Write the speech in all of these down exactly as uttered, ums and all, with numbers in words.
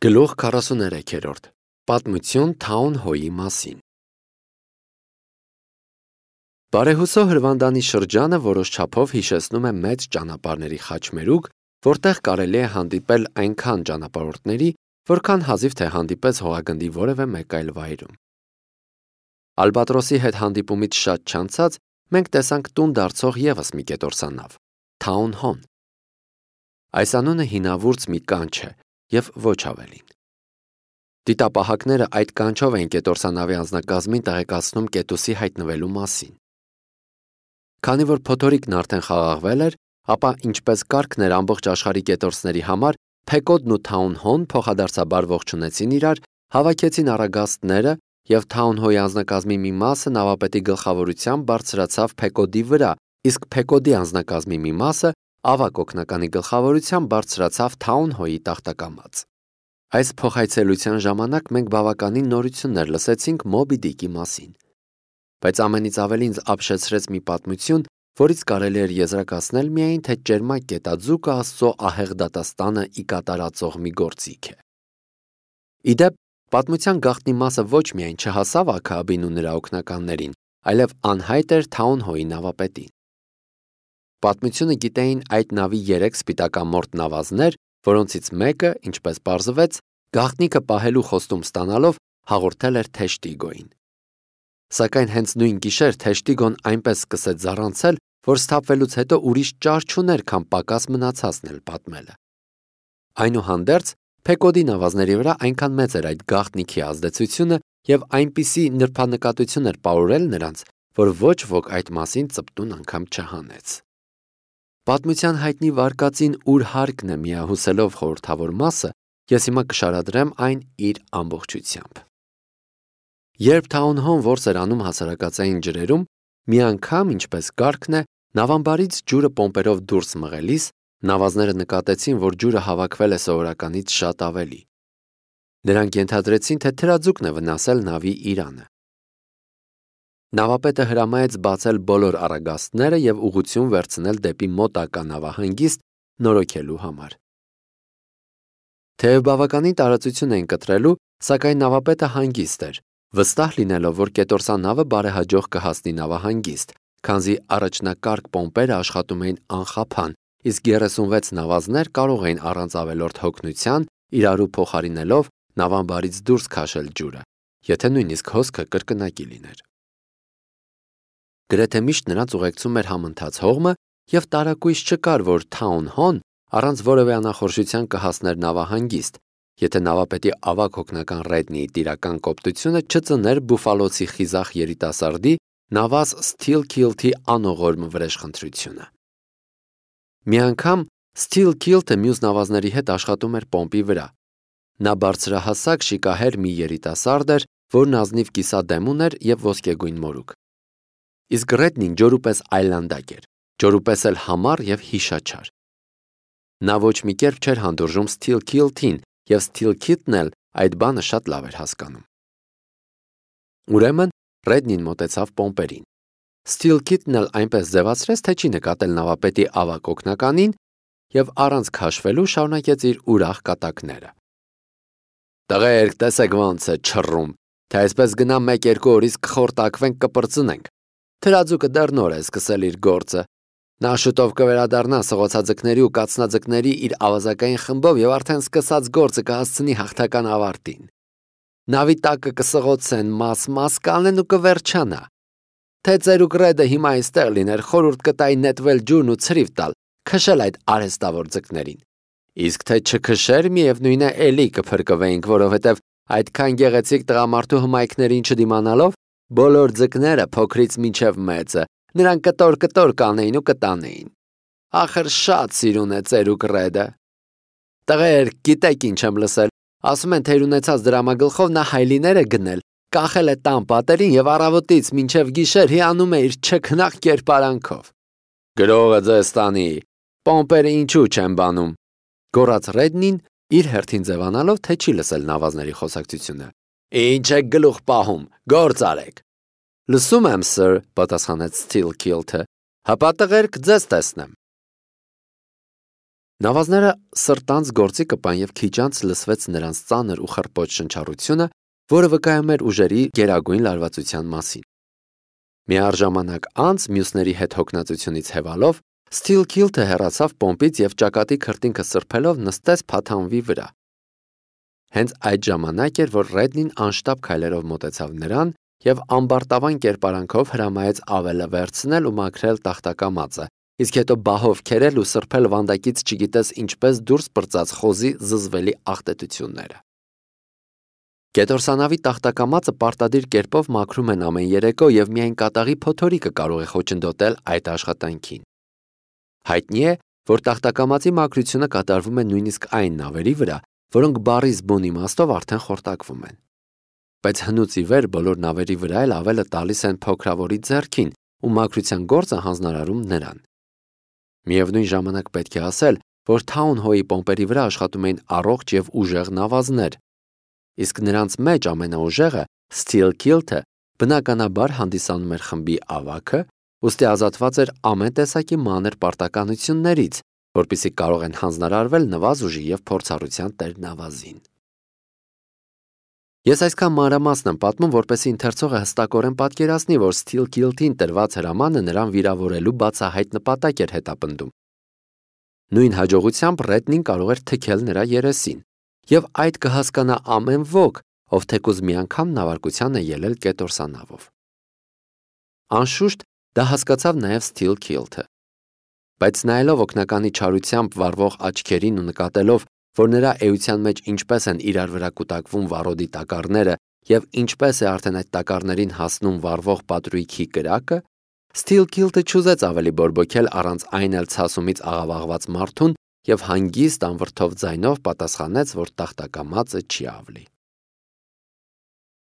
Գլուխ քառասուներեքերորդ. Պատմություն Թաուն Հոյի մասին։ Բարեհուսո հրվանդանի շրջանը որոշ չափով հիշեցնում է մեծ ճանապարհների խաչմերուկ, որտեղ կարելի է հանդիպել այնքան ճանապարհորդների, որքան հազիվ թե հանդիպեց հողագնդի որևէ մեկ այլ վայրում։ Ալբատրոսի հետ հանդիպումից շատ չանցած մենք տեսանք տուն դարձող ևս մի կետորսանավ՝ Թաուն Հոն։ Այս անունը հինավուրց մի կանչ է և ոչ ավելին։ Դիտապահակները այդ կանչով էին կետորսանավի անձնակազմին տեղեկացնում կետուսի հայտնվելու մասին։ Քանի որ փոթորիկն արդեն խաղաղվել էր, ապա ինչպես կարգն էր ամբողջ աշխարհի կետորսների համար, Փեկոդն ու Թաուն Հոն փոխադարձաբար ողջունեցին իրար, հավաքեցին առագաստները և Թաուն Հոյի անձնակազմի մի մասը նավապետի գլխավորությամբ բարձրացավ Փեկոդի վրա, իսկ Փեկոդի անձնակազմի մի մասը ավագ օգնականի գլխավորությամբ բարձրացավ Թաուն Հոյի տախտակամած։ Այս փոխայցելության ժամանակ մենք բավականին նորություններ լսեցինք Մոբի Դիկի մասին։ Բայց ամենից ավելի ինձ ապշեցրեց մի պատմություն, որից կարելի էր եզրակացնել միայն, թե ճերմակ գետաձուկը Աստծո ահեղ դատաստանը ի կատարածող մի գործիք է։ Ի դեպ, պատմության գաղտնի մասը ոչ միայն չհասավ Աքաբին ու նրա օգնականներին, այլև անհայտ էր Թաուն Հոյի նավապետին։ Պատմությունը գիտեին այդ նավի երեք սպիտակամորթ նավազներ, որոնցից մեկը, ինչպես պարզվեց, գաղտնիքը պահելու խոստում ստանալով հաղորդել էր Թեշտիգոյին։ Սակայն հենց նույն գիշեր Թեշտիգոն այնպես սկսեց զառանցել, որ սթափվելուց հետո ուրիշ ճար չուներ, քան պակաս մնացածն էլ պատմելը։ Այնուհանդերձ, Փեկոդի նավազների վրա այնքան մեծ էր այդ գաղտնիքի ազդեցությունը և այնպիսի նրբանկատություն էր պարուրել նրանց, որ ոչ ոք այդ մասին ծպտուն անգամ չհանեց։ Պատմության հայտնի վարկածին ուր հարկն է միահուսելով խորհրդավոր մասը, ես հիմա կշարադրեմ այն իր ամբողջությամբ։ Երբ Թաուն Հոն որս էր անում հասարակածային ջրերում, մի անգամ, ինչպես կարգն է, նավամբարից ջուրը պոմպերով դուրս մղելիս, նավազները նկատեցին, որ ջուրը հավաքվել է սովորականից շատ ավելի։ Նրանք ենթադրեցին, թե թրաձուկն է վնասել նավի իրանը։ Նավապետը հրամայեց բացել բոլոր առագաստները և ուղղություն վերցնել դեպի մոտակա նավահանգիստ նորոգելու համար։ Թեև բավականին տարածություն էին կտրելու, սակայն նավապետը հանգիստ էր, վստահ լինելով, որ կետորսանավը բարեհաջող կհասնի նավահանգիստ, քանզի առաջնակարգ պոմպերը աշխատում էին անխափան, իսկ երեսունվեց նավազներ կարող էին առանց ավելորդ հոգնության իրարու փոխարինելով նավամբարից դուրս քաշել ջուրը, եթե նույնիսկ հոսքը կրկնակի լիներ։ Գրեթե միշտ նրանց ուղեկցում էր համընթաց հողմը և տարակույս չկար, որ Թաուն Հոն առանց որևէ անախորժության կհասներ նավահանգիստ, եթե նավապետի ավագ հոգնական Ռեդնիի տիրական կոպտությունը չծներ բուֆալոցի խիզախ երիտասարդի նավազ Սթիլքիլթի անողորմ վրեժխնդրությունը։ Մի անգամ Սթիլքիլթը մյուս նավազների հետ աշխատում էր պոմպի վրա։ Նա բարձրահասակ շիկահեր մի երիտասարդ էր, որն ազնիվ կիսադեմ ուներ և ոսկեգույն մորուք։ Իսկ Ռեդնին ջորու պես այլանդակ էր, ջորու պես էլ համառ և հիշաչար։ Նա ոչ մի կերպ չէր հանդուրժում Սթիլքիլթին, և Սթիլքիլթն էլ այդ բանը շատ լավ էր հասկանում։ Ուրեմն Ռեդնին մոտեցավ պոմպերին։ Սթիլքիլթն էլ այնպես ձևացրեց, թե չի նկատել նավապետի ավագ օգնականին և առանց քաշվելու շարունակեց իր ուրախ կատակները։ «Տղերք, տեսեք ոնց է չռում, թե այսպես գնա մեկ-երկու օրից կխորտակվենք, կպրծնենք։ Թրաձուկը դեռ նոր է սկսել իր գործը։ Նա շուտով կվերադառնա սղոցաձկների ու կացնաձկների իր ավազակային խմբով և արդեն սկսած գործը կհասցնի հաղթական ավարտին։ Նավի տակը կսղոցեն, մաս-մաս կանեն ու կվերջանա։ Թե ծերուկ Ռեդը հիմա այստեղ լիներ, խորհուրդ կտայի նետվել ջուրն ու ցրիվ տալ, քշել այդ արհեստավոր ձկներին։ Իսկ թե չքշեր, միևնույն է, էլի կփրկվեինք, որովհետև այդքան գեղեցիկ տղամարդու հմայքներին չդիմանալով, բոլոր ձկները փոքրից մինչև մեծը, նրան կտոր-կտոր կանեին ու կտանեին։ Ախր շատ սիրուն է ծերուկ Ռեդը։ Տղերք, գիտեք ինչ եմ լսել, ասում են, թե իր ունեցած դրամագլխով նա հայլիներ է գնել, կախել է տան պատերին և առավոտից մինչև գիշեր հիանում է իր չքնաղ կերպարանքով։ Գրողը ձեզ տանի, պոմպերը ինչու չեն բանում, գոռաց Ռեդնին, իր հերթին ձևանալով, թե չի լսել նավազների խոսակցությունը։ Ինչ եք գլուխ պահում, գործ արեք։ Լսում եմ, սըր, պատասխանեց Սթիլքիլթը, հապա տղերք ձեզ տեսնեմ։ Նավազները սրտանց գործի կպան եւ քիճանց լսվեց նրանց ծանր ու խռպոտ շնչառությունը, որը վկայում էր ուժերի գերագույն լարվածության մասին։ Միառժամանակ անց մյուսների հետ հոգնածությունից հևալով Steelkilt-ը հեռացավ պոմպից եւ ճակատի քրտինքը սրբելով նստեց փաթանվի վրա։ Հենց այդ ժամանակ էր, որ Ռեդնին անշտապ քայլերով մոտեցավ նրան եւ ամբարտավան կերպարանքով հրամայեց ավելը վերցնել ու մաքրել տախտակամածը, իսկ հետո բահով քերել ու սրբել վանդակից չգիտես ինչպես դուրս պրծած խոզի զզվելի աղտետությունները։ Կետորսանավի տախտակամածը պարտադիր կերպով մաքրում են ամեն երեկո եւ միայն կատաղի փոթորիկը կարող է խոչընդոտել այդ աշխատանքին։ Հայտնի է, որ տախտակամածի մաքրությունը կատարվում է նույնիսկ այն նավերի վրա, որոնք բառի զբուն իմաստով արդեն խորտակվում են։ Բայց հնուց ի վեր բոլոր նավերի վրա էլ ավելը տալիս են փոքրավորի ձեռքին ու մաքրության գործը հանձնարարում նրան։ Միևնույն ժամանակ պետք է ասել, որ Town-Ho-ի պոմպերի վրա աշխատում էին առողջ եւ ուժեղ նավազներ, իսկ նրանց մեջ ամենաուժեղը Steelkilt-ը բնականաբար հանդիսանում էր խմբի ավագը, ուստի ազատված էր ամեն տեսակի մանր պարտականություններից, որպեսզի կարող են հանձնարարվել նվազ ուժի եւ փորձառության տեր նավազին։ Ես այսքան մանրամասն եմ պատմում, որպեսզի ընթերցողը հստակորեն պատկերացնի, որ Steelkilt-ին տրված հրամանը նրան վիրավորելու բացահայտ նպատակ էր հետապնդում։ Նույն հաջողությամբ Ռեդնին կարող էր թքել նրա երեսին, եւ այդ կհասկանա ամեն ոք, ով թեկուզ մի անգամ նավարկության է ելել կետորսանավով։ Անշուշտ դա հասկացավ նաեւ Steelkilt-ը։ Բայց նայելով օգնականի չարությամբ վառվող աչքերին ու նկատելով, որ նրա էության մեջ ինչպես են իրար վրա կուտակվում վառոդի տակառները եւ ինչպես է արդեն այդ տակառներին հասնում վառվող պատրույքի կրակը, Steelkilt-ը չուզեց ավելի բորբոքել առանց այն էլ ցասումից աղավաղված մարդուն եւ հանգիստ անվրդով ձայնով պատասխանեց, որ տախտակամածը չի ավլի։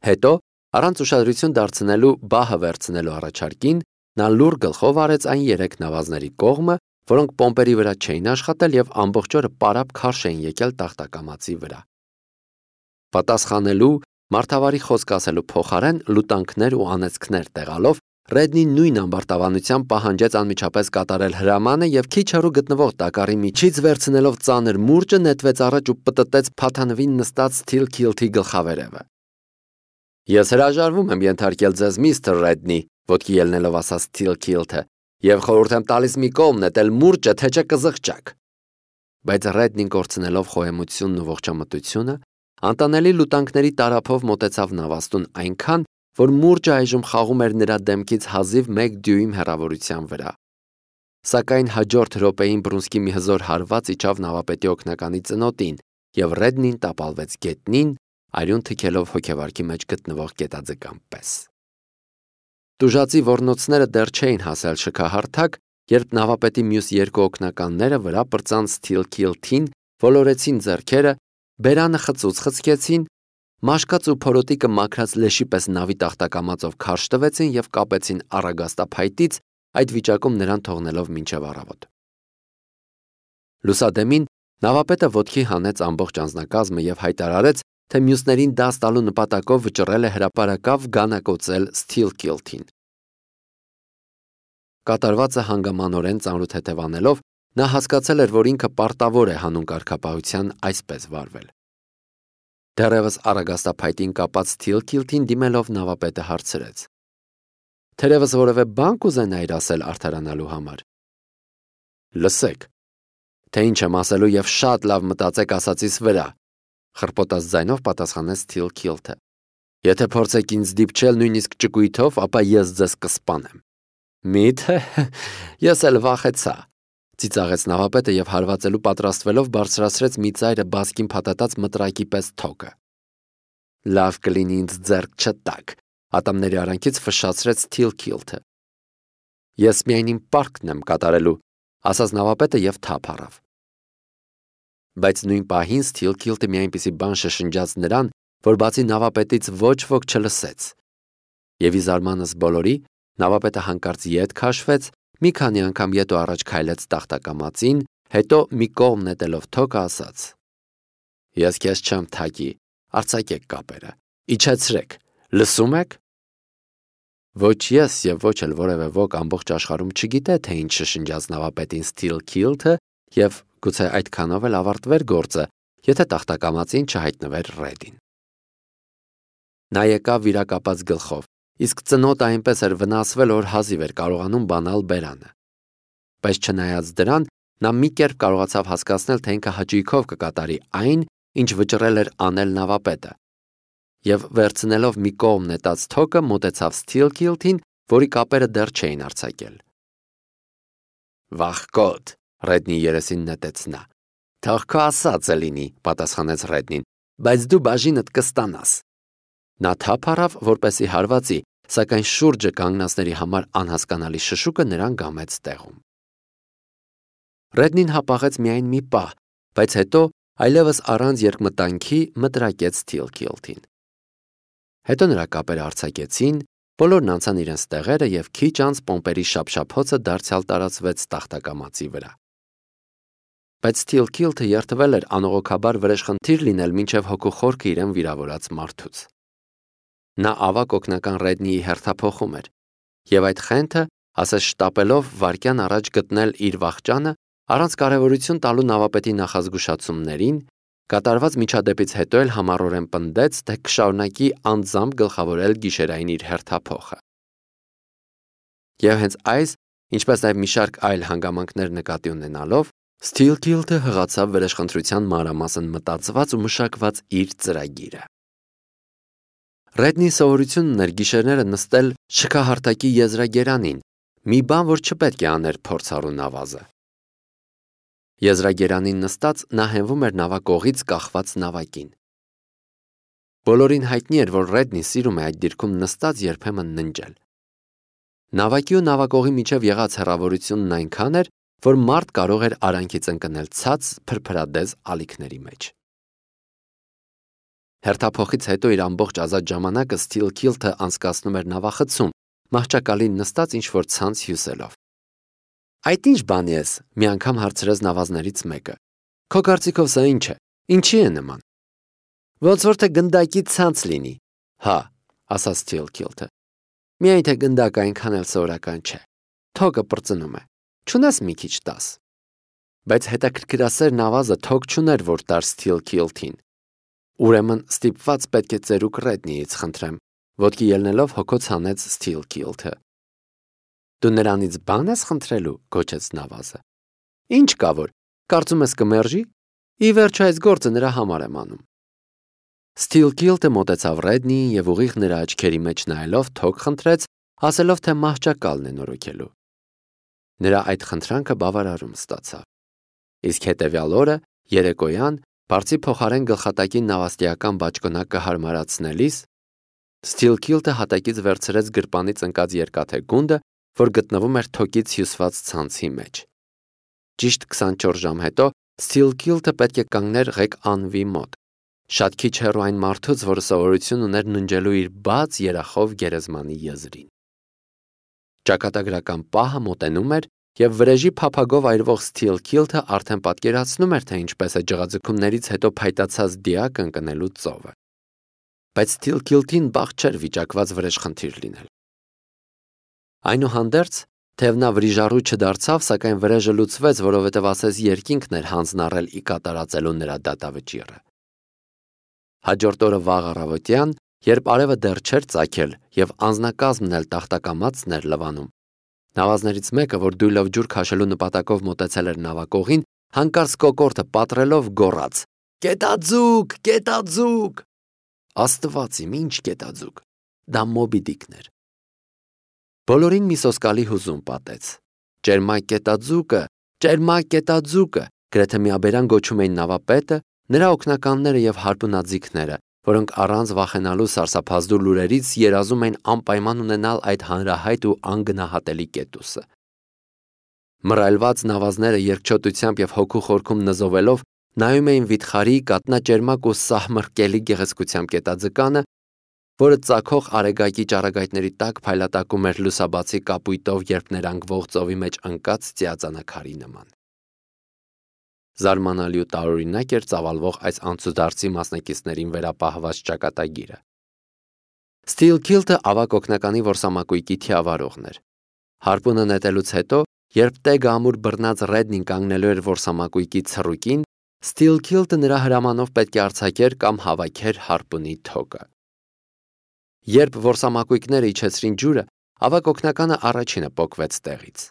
Հետո, առանց ուշադրություն դարձնելու բահը վերցնելու առաջարկին, նա լուր գլխով արեց այն երեք նավազների կողմը, որոնք պոմպերի վրա չէին աշխատել եւ ամբողջ օրը պարապ քարշ էին եկել տախտակամածի վրա։ Պատասխանելու, մարդավարի խոսք ասելու փոխարեն լուտանքներ ու անեծքներ տեղալով Ռեդնին նույն ամբարտավանությամբ պահանջեց անմիջապես կատարել հրամանը եւ քիչ հեռու գտնվող տակառի միջից վերցնելով ծանր մուրճը նետվեց առաջ ու պտտեց փաթանվին նստած Steelkilt-ի գլխավերևը։ Ես հրաժարվում եմ ենթարկել ձեզ միստր Ռեդնի, ոտքի ելնելով ասաց Steelkilt-ը, եւ խորհուրդ եմ տալիս մի կողմ նետել մուրճը, թե չէ կզղջաք։ Բայց Ռեդնին կորցնելով խոհեմությունն ու ողջամտությունը, անտանելի լուտանքների տարափով մոտեցավ նավաստուն այնքան, որ մուրճը այժմ խաղում էր նրա դեմքից հազիվ մեկ դյույմ հեռավորության վրա։ Սակայն հաջորդ րոպեին բռունցքի մի հզոր հարված իջավ նավապետի օգնականի ծնոտին, եւ Ռեդնին տապալվեց գետնին, արյուն թքելով հոգեվարքի մեջ գտնվող կետաձկան պես։ Տուժածի ոռնոցները դեռ չէին հասել շքահարթակ, երբ նավապետի մյուս երկու օգնականները վրա պրծան Steelkilt-ին, ոլորեցին ձեռքերը, բերանը խծուց խցկեցին, մաշկած ու փորոտիկը մաքրած լեշի պես նավի տախտակամածով քարշ տվեցին եւ կապեցին առագաստափայտից, այդ վիճակում նրան թողնելով մինչև առավոտ։ Լուսադեմին նավապետը ոտքի հանեց ամբողջ անձնակազմը եւ հայտարարեց, թե մյուսներին դաս տալու նպատակով վճռել է հրապարակավ գանակոծել Steelkilt-ին։ Կատարվածը հանգամանորեն ծանրութ հետևանելով, նա հասկացել էր, որ ինքը պարտավոր է հանուն կարգապահության այսպես վարվել։ Դեռևս առագաստափայտին կապած Steelkilt-ին դիմելով նավապետը հարցրեց. Թերևս որևէ բան կուզենայիր ասել արդարանալու համար։ Լսեք, թե ինչ եմ ասելու եւ շատ լավ մտածեք ասածիս վրա, խռպոտած ձայնով պատասխանեց Steelkilt-ը։ Եթե փորձեք ինձ դիպչել նույնիսկ ճկույթով, ապա ես ձեզ կսպանեմ։ Միթե, ես էլ վախեցա, ծիծաղեց նավապետը եւ հարվածելու պատրաստվելով բարձրացրեց մի ծայրը բասկին փաթաթած մտրակի պես թոկը։ Լավ կլինի ինձ ձեռք չտակ, ատամների արանքից ֆշացրեց Steelkilt-ը։ Ես միայն իմ պարտքն եմ կատարելու, ասաց նավապետը եւ թափ առավ։ Բայց նույն պահին Steelkilt-ը մի այնպիսի բան շշնջաց նրան, որ բացի նավապետից ոչ ոք չլսեց։ Եվ ի զարմանս բոլորի, նավապետը հանկարծ ետ քաշվեց, մի քանի անգամ ետ ու առաջ քայլեց տախտակամածին, հետո մի կողմ նետելով թոկը ասաց. Ես քեզ չեմ թակի, արձակեք կապերը, իջեցրեք, լսում եք։ Ոչ ես եւ ոչ էլ որևէ ոք ամբողջ աշխարհում չգիտե, թե ինչ շշնջաց նավապետին Steelkilt-ը եւ գուցե այդքանով էլ ավարտվեր գործը, եթե տախտակամածին չհայտնվեր Ռեդին։ Նա եկավ վիրակապած գլխով, իսկ ծնոտը այնպես էր վնասվել, որ հազիվ էր կարողանում բանալ բերանը։ Բայց չնայած դրան, նա մի կերպ կարողացավ հասկացնել, թե ինքը հաճույքով կկատարի այն, ինչ վճռել էր անել նավապետը, եւ վերցնելով մի կողմ նետած թոկը մոտեցավ Սթիլքիլթին, որի կապերը դեռ չէին արձակել։ «Վախկոտ», Ռեդնի երեսին նետեց նա։ «Թող քո ասածը լինի», պատասխանեց Ռեդնին, «բայց դու բաժինդ կստանաս»։ Նա թափ առավ, որպեսզի հարվածի, սակայն շուրջը կանգնածների համար անհասկանալի շշուկը նրան գամեց տեղում։ Ռեդնին հապաղեց միայն մի պահ, բայց հետո այլևս առանց երկմտանքի մտրակեց Սթիլքիլթին։ Հետո նրա կապերը արձակեցին, բոլորն անցան իրենց տեղերը եւ քիչ անց պոմպերի շափշափոցը դարձյալ տարածվեց տախտակամածի վրա։ Բայց Սթիլքիլթը երթվել էր անողոքաբար վրեժխնդիր լինել մինչև հոգու խորքը իրեն վիրավորած մարդուց։ Նա ավակ օգնական Ռեդնիի հերթափոխում էր, եւ այդ խենթը, ասես շտապելով վայրկյան առաջ գտնել իր վախճանը, առանց կարևորություն տալու նավապետի նախազգուշացումներին, կատարված միջադեպից հետո էլ համառորեն պնդեց, թե կշարունակի անձամբ գլխավորել գիշերային իր հերթափոխը։ Եվ հենց այս, ինչպես նաև մի շարք այլ հանգամանքներ նկատի ունենալով, Սթիլքիլթը հղացավ վրեժխնդրության մանրամասն մտածված ու մշակված իր ծրագիրը։ Ռեդնի սովորությունն ուներ գիշերները նստել շքահարտակի եզրագերանին, մի բան, որ չպետք է աներ փորձառու նավազը։ Եզրագերանին նստած նա հենվում էր նավակողից կախված նավակին։ Բոլորին հայտնի էր, որ Ռեդնի սիրում է այդ դիրքում նստած երբեմն ննջել։ Նավակի ու նավակողի միջև եղած հեռավորությունն այնքան էր, որ մարդ կարող էր արանքից ընկնել ցած փրփրադեզ ալիքների մեջ։ Հերթափոխից հետո իր ամբողջ ազատ ժամանակը Սթիլքիլթը անցկացնում էր նավախցում, մահճակալին նստած ինչ-որ ցանց հյուսելով։ Այդ ինչ բան ես, մի անգամ հարցրեց նավազներից մեկը։ Քո կարծիքով սա ինչ է, ինչի է նման։ Ոնց որ թե գնդակի ցանց լինի։ Հա, ասաց Սթիլքիլթը։ Միայն թե գնդակը այնքան էլ սովորական չէ։ Թոկը պրծնում է։ Չունես մի քիչ տաս։ Բայց հետաքրքրասեր նավազը թոկ չուներ, որ տար Սթիլքիլթին։ Ուրեմն ստիպված պետք է ծերուկ Ռեդնիից խնդրեմ, ոտքի ելնելով հոգոց հանեց Սթիլքիլթը։ Դու նրանից բան ես խնդրելու, գոչեց նավազը։ Ինչ կա որ, կարծում ես կմերժի։ Ի վերջո այս գործը նրա համար եմ անում։ Սթիլքիլթը մոտեցավ Ռեդնիին եւ ուղիղ նրա աչքերի մեջ նայելով թոք խնդրեց, ասելով թե մահճակալն է նորոգելու։ Նրա այդ խնդրանքը բավարարում ստացավ։ Իսկ հետևյալ օրը երեկոյան բարձի փոխարեն գլխատակին նավաստիական բաճկոնակը հարմարացնելիս Սթիլքիլթը հատակից վերցրեց գրպանից ընկած երկաթե գունդը, որ գտնվում էր թոկից հյուսված ցանցի մեջ։ Ճիշտ քսանչորս ժամ հետո Սթիլքիլթը պետք է կանգներ ղեկ անվի մոտ, շատ քիչ հեռու այն մարդուց, որը սովորություն ուներ ննջելու իր բաց երախով գերեզմանի եզրին։ Ճակատագրական պահը մոտենում էր, եւ վրեժի փափագով այրվող Սթիլքիլթը արդեն պատկերացնում էր, թե ինչպես է ջղաձգումներից հետո փայտացած դիակը ընկնելու ծովը։ Բայց Սթիլքիլթին բախտ չէր վիճակված վրեժխնդիր լինել։ Այնուհանդերձ, թեև նա վրիժառու չդարձավ, սակայն վրեժը լուծվեց, որովհետև ասես երկինքն էր հանձն առել ի կատարածելու նրա դատավճիռը։ Հաջորդ օրը վաղ առավոտյան, երբ արևը դեռ չէր ծագել եւ անձնակազմն էլ տախտակամածն էր լվանում, նավազներից մեկը, որ դույլով ջուր քաշելու նպատակով մոտեցել էր նավակողին, հանկարծ կոկորդը պատռելով գոռաց. «Կետաձուկ, կետաձուկ»։ Աստված իմ, ինչ կետաձուկ։ Դա Մոբի Դիկն էր։ Բոլորին մի սոսկալի հուզում պատեց։ Ճերմակ կետաձուկը, ճերմակ կետաձուկը, գրեթե միաբերան գոչում էին նավապետը, նրա օգնականները եւ հարպունաձիգները, որոնք առանց վախենալու սարսափազդու լուրերից երազում էին անպայման ունենալ այդ հանրահայտ ու անգնահատելի կետուսը։ Մռայլված նավազները երկչոտությամբ եւ հոգու խորքում նզովելով նայում էին վիթխարի, կատնաճերմակ ու սահմռկելի գեղեցկությամբ կետաձկանը, որը ծագող արեգակի ճառագայթների տակ փայլատակում էր լուսաբացի կապույտով երփներանգվող ծովի մեջ ընկած ծիածանաքարի նման։ Զարմանալի ու տարօրինակ էր ծավալվող այս անցուդարձի մասնակիցներին վերապահված ճակատագիրը։ Սթիլքիլթը ավակ օգնականի որսամակույկի թիավարողն էր։ Հարպունը նետելուց հետո Երբ տեգը ամուր բռնած Ռեդնին կանգնելու էր որսամակույկի ցռուկին, Սթիլքիլտը նրա հրամանով պետք է արձակեր կամ հավաքեր հարպունի թոկը։ Երբ որսամակույկները իջեցրին ջուրը, ավագ օգնականը առաջինը պոկվեց տեղից։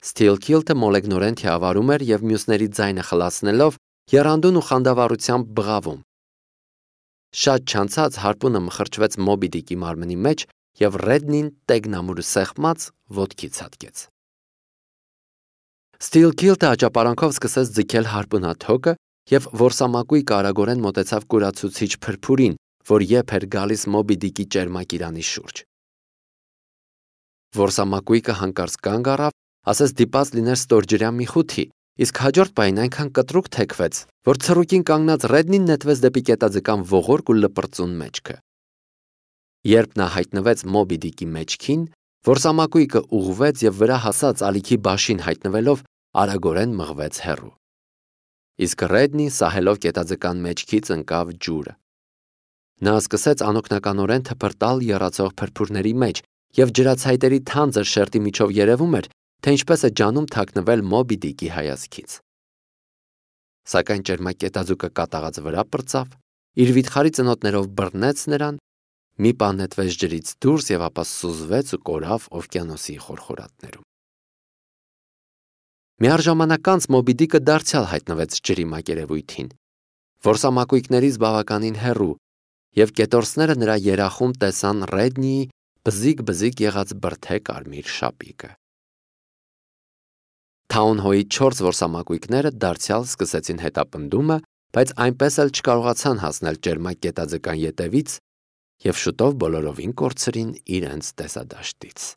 Սթիլքիլտը մոլեգնորեն թիավարում էր և մյուսների ձայնը խլացնելով եռանդուն ու խանդավառությամբ բղավում։ Շատ չանցած հարպունը մխրճվեց Մոբի Դիկի մարմնի մեջ և Ռեդնին տեգն ամուրը սեղմած ոտքի ցատկեց։ Սթիլքիլտը աճապարանքով սկսեց ձգել հարպունաթոկը և որսամակույկը արագորեն մոտեցավ կուրացուցիչ փրփուրին, որ եփ էր գալիս Մոբի Դիկի ճերմակիրանի շուրջ։ Որսամակույկը հանկարծ կանգ առավ, ասես դիպած լիներ ստորջրյա մի խութի, իսկ հաջորդ պահին այնքան կտրուկ թեքվեց, որ ցռուկին կանգնած Ռեդնին նետվեց դեպի կետաձկան ողորկ ու լպրծուն մեջքը։ Երբ նա հայտնվեց Մոբի Դիկի մեջքին, որսամակույկը ուղղվեց և վրա հասած ալիքի բաշին հայտնվելով արագորեն մղվեց հեռու։ Իսկ Ռեդնին սահելով կետաձկան մեջքից ընկավ ջուրը։ Նա սկսեց անօգնականորեն թփրտալ եռացող փրփուրների մեջ և ջրացայտերի թանձր շերտի միջով երևում էր, թե ինչպես է ջանում թաքնվել Մոբի Դիկի հայացքից։ Սակայն ճերմակետաձուկը կատաղած վրա պրծավ, իր վիթխարի ծնոտներով բռնեց նրան, մի պահ նետվեց ջրից դուրս և ապա սուզվեց ու կորավ օվկիանոսի խորխորատներում։ Միառժամանակ անց Մոբի Դիկը դարձյալ հայտնվեց ջրի մակերևույթին, որսամակույկներից բավականին հեռու, և կետորսները նրա երախում տեսան Ռեդնիի բզիկ-բզիկ եղած բրդե կարմիր շապիկը։ Թաունհոյի չորս որսամակույկները դարձյալ սկսեցին հետապնդումը, բայց այնպես էլ չկարողացան հասնել ճերմակ կետաձկան ետևից և շուտով բոլորովին կորցրին իրենց տեսադաշտից։